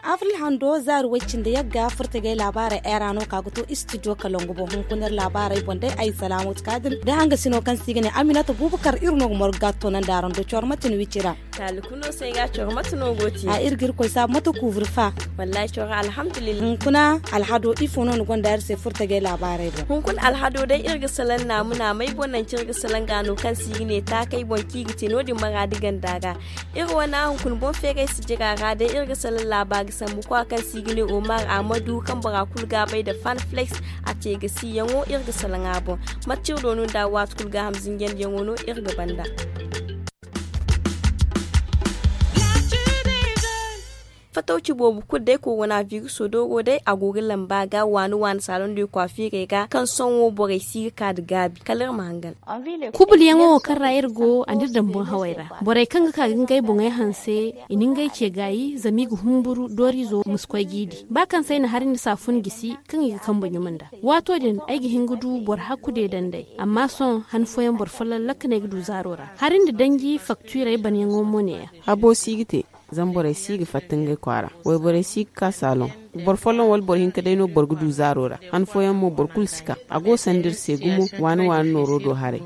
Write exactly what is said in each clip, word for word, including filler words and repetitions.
Avril hando zaari way cindi yagga furtagay laabaarey era no ka ga to istidiyo kalangu boŋ hunkuna iri laabaarey boŋ day ay salaamatu kaadin da hangasino kaŋ se i ga ne aminata bubakar iri no ga morgu ga toonandi araŋ do cawar mate no wicira. Taali kulu no se ay ga cawar mate no go te a iri ga iri koy saabu mate kuubur fa. Wallahi cawar alhamdulillah. Hunkuna alhado ifo no ni gonda iri se furtagay laabaarey boŋ? Hunkuna alhado day iri ga salaŋ naama naamay boŋ nanci iri ga salaŋ ga no kaŋ se i ga ne taakay boŋ kaŋ i ga te no- din maraadi ganda ga. Iri wane hunkuna boŋ feeray si jira ra day iri ga salaŋ laaba ga sambu kowa kaŋ se i ga ne omar ahmadu kaŋ bora kulu ga a bay nda fanflex. A te ga si yaŋo iri ga salaŋ a boŋ. Mate ciri do no nda waati kulu gaaham zinjandi yaŋo no iri ga banda. Fatawci boobo kulu day korona viruso dooro day a go ga lamba ga waani waani saalondiyo kwaafiirey ga kaŋ sohõ borey si ga ka nda gaabi kala iri ma hangan. Kubuliyaŋo wo kaŋ ra iri go a n'iri daŋ boŋ haway ra. Borey kaŋ ga ka ga ngey boŋey hanse i na ngey ce gaayi zama i ga humburu dooriizo ma si koy g'i di ba kaŋ se ay na hari nda saafun gisi kaŋ i ga kambe ɲuma nd'a. Waato din ay ga hin ga du boro hakku deedandey amma sohõ han fooyaŋ boro folloŋ lakkaney ga du zaaro ra. Hari nda danji faktiirey banyaŋo mo neeya. Habo si ga te. Zama borey si ga fatta ngey kwaara. Wayborey si ga ka saaloŋ. Boro folloŋ wala boro hinka day no boro ga du zaaro ra. Han fooyaŋ mo boro kulu si ka. A go sanda iri se gumo waani waani nooro do haray.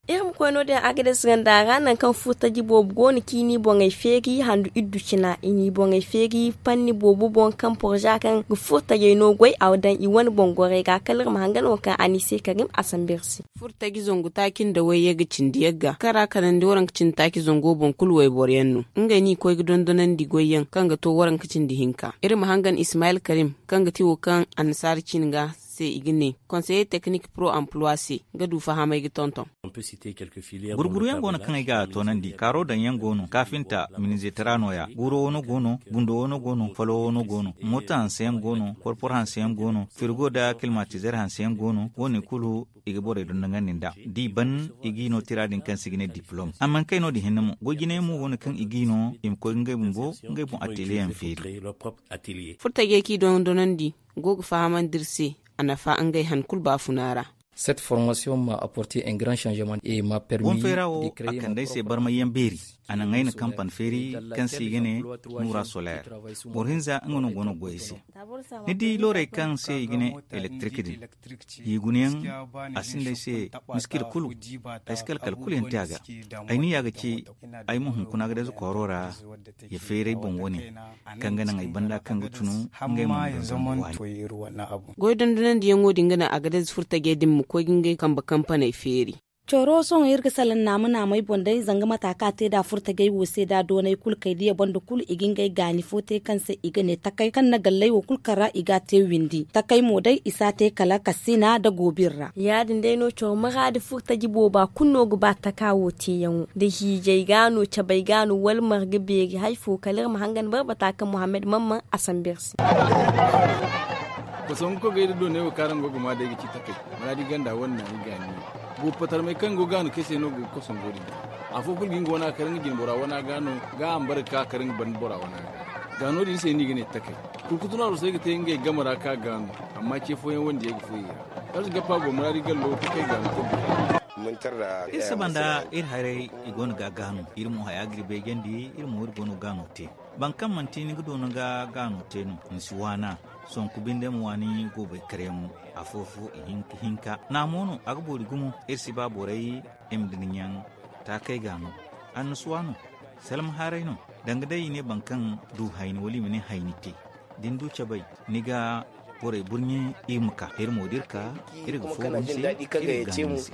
Iri ma koy no- din agades ganda ra nangu kaŋ furtaji boobo go no kaŋ i n'i boŋey feeri handu iddu cina i n'i boŋey feeri panni boobo boŋ kaŋ porza kaŋ ga furtajey no goy a daŋ i wane boŋ gorey ga kala iri ma hangan wo kaŋ a n'i se karim a sambu iri se. Furtaji zangu taaci nda wayye ga cindi yagga kaŋ ra kanandi waranka cindi taaci zango boŋ kulu wayboro yaŋ no. Ngey no i koy ga dondonandi goy yaŋ kaŋ ga to waranka cindi hinka iri ma hangan ismayil karim kaŋ ga ti wo kaŋ annasaara cin ga se i ga ne konseye teknik pro amplois se ga du fahamay ga tonton. Gurguru yaŋ go no kaŋ ay ga toonandi kaaro daŋ yaŋ go no kaafinta minizeetara nooya guuro wo no go no gundo wo no go no falo wo no go no mooto hanse yaŋ go no porpor hanse yaŋ go no firigo nda kilmatizer hanse yaŋ go no wo- ne kulu i ga borey dondonandi nd'a. Da i ban i g'i no tira din kaŋ se i ga ne diplom amma ni kay no- din hinne mo goy jine yaŋ mo go no kaŋ i g'i no i ma koy ga ngey bumbo ngey boŋ ateliye yaŋ feeri. Furtajey kaŋ i dondonandi go ga fahamandi iri se a nafa ngey han kulu baafuna ra. Cette formation m'a apporté un grand changement et m'a permis de créer mon propre entreprise. Wo fera wo a kande ay se barmay yaŋ beeri. A naŋ ay na kampan feeri kaŋ se i ga ne nuura solaire. Boro hinza nga no go no goy ay se. Ni di loorey kaŋ se i ga ne elektrik din. Hiigunayaŋ a sinda ay se miskila kulu. Ay si kalkal kulu yaŋ te a ga. Ay ni ya ga ci ay ma hunkuna ga dayze kooro ra ya feeray boŋ wane kaŋ ga naŋ ay banda kaŋ ga tunu ngey ma. Goy dondonandiyaŋo din ga naŋ a ga dayze furtajey din ma koy ga ngey kambe kampaney feeri. Coro sohõ iri ga salaŋ naama naamey boŋ day zanga mata kaŋ a te nd'a furtajey wo se nd'a doonay kulu kay diya banda kulu i ga ngey gaani fo te kaŋ se i ga ne takay kaŋ na galley wo kulu kaŋ ra i ga a te windi takay mo day i si a te kala kasina nda goobir ra. Ya- din day no coro maraadi furtaji booba kulu no ga ba taka wo teeyaŋo nda hiijay ga no cabay ga no wala marga beeri hari fo kala iri ma hangan barbata kaŋ muhammad mamman a sambu iri se. Kosongu kogay da doonay wo kaŋ araŋ go ga maa day ga ci takay maraadi ganda wane naani gaani. Boobo patarmey kaŋ go gaanu kay se no go ga kosongo din. Afo kulu ga nga wana kar nga jine bora wana ga no ga a ma bare ga ka kar nga banda bora wana ga. Ga no- din se no i ga ne takay. Kurkutu no arosey ga te ngey game ra ka gaanu. Amma ce fooyaŋ wandiyey ga fooyey ra. Arsi gappa go maraadi gallo takay gaanu kulu. Iri saba nda iri haray i go no ga gaanu iri mo haya ga iri beejandi iri mo iri go no ga gaano te. Boro kaŋ manti ni ga doona ga gaano te no ni si waana. Sonku binde ma waani goobay karyaŋo afo-fo i hinka hinka naamo no a ga boori gumo. Iri si ba borey i ma dinyaŋ taakey ga no annasuwa no. Salma haaray no danga day i ne boro kaŋ du hayni wala i ma ne hayni te da ni du cabay ni ga borey burɲe. Iri ma ka iri mo da iri ka iri ga fooru ni se iri ga gaani ni se.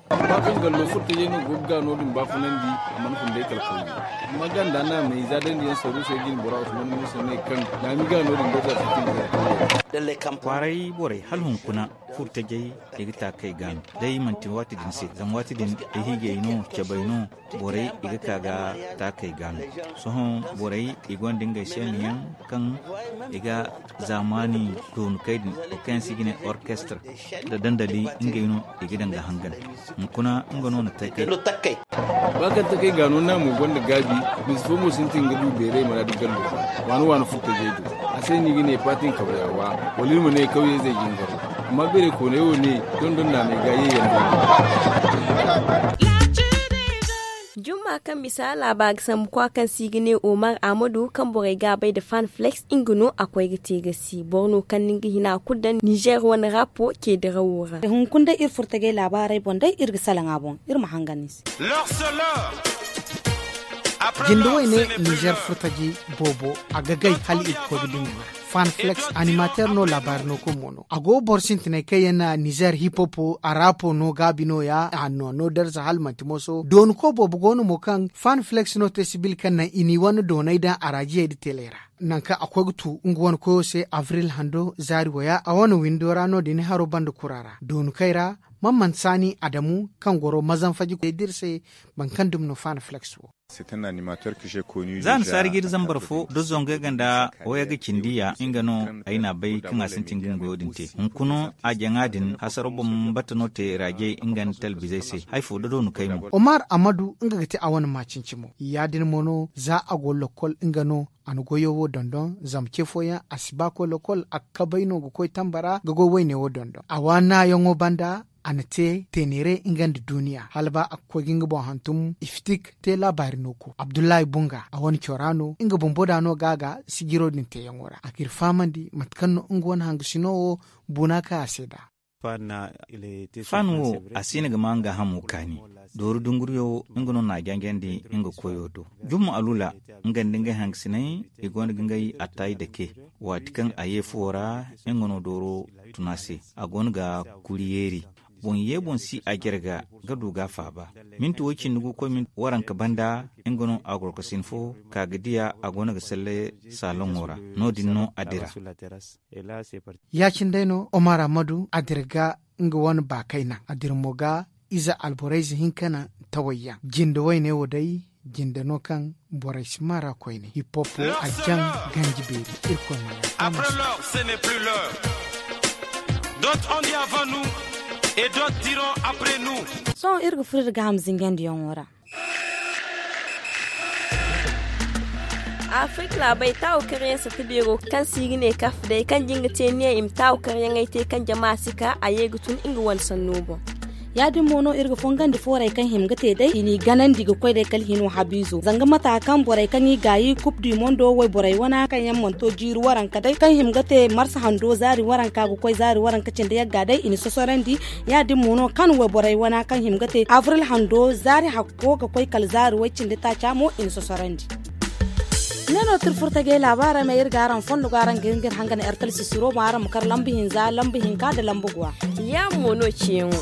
Ba kaŋ gallo furtajey no go ga no- din baafunandi a mana fun day kala kawye. Amma ganda naamey za dandi yaŋ saruusey jine bora usman musa ne kaŋ naami ga no- din goy za sintin ga kawye. Kwaaray borey hala hunkuna furtajey i ga taakey ga no day manti waati din se zama waati din ay hiijey no cabey no. Borey i ga ka ga taakey ga no sohõ borey i gonda ngey seena yaŋ kaŋ i ga zaamaani doonukey din wo kaŋ yaŋ se i ga ne orkestre nda dandali ngey no i ga daŋ ga hangan. Hunkuna nga no na taakey. Ba kaŋ taakey ga no naamo gonda gaabi. Misi fo mo sintin ga du beeray maraadi gallo waani waani furtajey do. A se no i ga ne paatin kawya wa wala iri ma ne kawyeyzey jingaro. Amma beeray kooney wo ne dondon naanay ga ye yaŋ do. Jumma kaŋ bisa laaba ga sambu kwa kaŋ se i ga ne omar ahmadu kaŋ borey ga a bay nda fan flex nga no a koy ga te ga si boro no kaŋ no nga hina kulu daŋ nizer wane rapo ce dirawo ra. Hunkuna day iri furtagay laabaarey boŋ day iri ga salaŋ a boŋ iri ma hangan ni se. Jinde wayne nizer furtaji boobo a ga gay hala i ga koy ga dumi. Fan flex animateer no laabaari no koy mo no a go boro sintinay kaŋ yaŋ na nizer hip hop a raapo no gaabi no ya a no no darza hala manti moso doonu ko boobo go no mo kaŋ fan flex no te sibil kaŋ naŋ i n'i wane doonay daŋ araajiyey nda teley ra. Nangu kaŋ a koy ga tu nga wane koyo se avril hando zaari waya a wane windo ra no- din haro banda kura ra doonu kay ra. Mamman saani adamu kaŋ goro mazanfaji koy da iri se boro kaŋ dumi no fan flex wo. Za ni saari ga iri zambar fo da zongey ga nda waya ga cindi ya nga no ay n'a bay kaŋ a sintin ga nga goyo din te. Hunkuna a jaŋa din hasaro boŋ bata no te raajey nga nda talbizey se. Hay fo da doonu kay mo. Omar ammadu nga ga te a wane maacinci mo ya- din mo no za a go lokkol nga no. A na goyo wo dondon zama ce fooyaŋ a si ba koy lokkol a ga kabay no ga koy tamba ra ga goy wayne wo dondon a waanayaŋo banda. A na te teeneere nga nda duuniya hala ba a ga koy ga nga boŋ hantum ifitik te laabaari no ko abdullahi bunga a wane cora no nga bumbo da no ga a ga sijiro din teeyaŋo ra a ga iri fahamandi mate kaŋ no nga wane hangasino wo. Buuna kaŋ a se da. Fan wo a si hin ga ma nga hamo kaani. Dooru dunguriyo nga no n'a janjandi nga koyo do. Jumma alula nga nda ngey hangasinay i go no ga ngey attaayi dake. Waati kaŋ a ye fuwo ra nga no dooro tun a se. A go no ga kuri yeeri. Boŋ ye boŋ si a jarga ga du ga a faaba. Minti way cindi gu koy minti waranka banda nga no a gorkosin fo ka ga diya a go no ga salle saaloŋo ra. No- din no a dira. Ya- cine day no omar ammadu a dira ga nga wane baakay naŋ a dira mo ga ize alborayze hinka naŋ tawayyaŋ jinde wayne wo day. Jinde no kaŋ borey si maa ra koyne hip hop wo a jaŋ ganji beeri. Irkoy ma yaafaamu se. Sohõ iri ga furo iri ga ham zinjandiyaŋo ra. Afirka laabey taawu karyaŋ sata beero kaŋ se i ga ne kaf day kaŋ jin ga te niyaŋ i ma taawu karyaŋey te kaŋ jama si ka a ye ga tun nga wane sanno boŋ. Ya- din mo no iri ga fongandi foorey kaŋ hima ga te day i n'i ganandi ga koy day kala hino habiizo zanga mata kaŋ borey kaŋ i gaayi kub du mondo wayborey wana kaŋ yaŋ mana to jiiri waranka day kaŋ hima ga te marsa hando zaari waranka ga koy zaari waranka cindi yagga day i na sosorandi. Ya- din mo no kaŋ wayborey wana kaŋ hima ga te avril hando zaari hakko ga koy kala zaari way cindi taaca mo i na sosorandi. Ne no tirfurtajey laabaarey ma iri ga araŋ fondo ga araŋ ga hin ga iri hangan ertel sisiro ma araŋ ma kar lamba hinza lamba hinka nda lamba guwa. Ya- mo no ciyaŋo.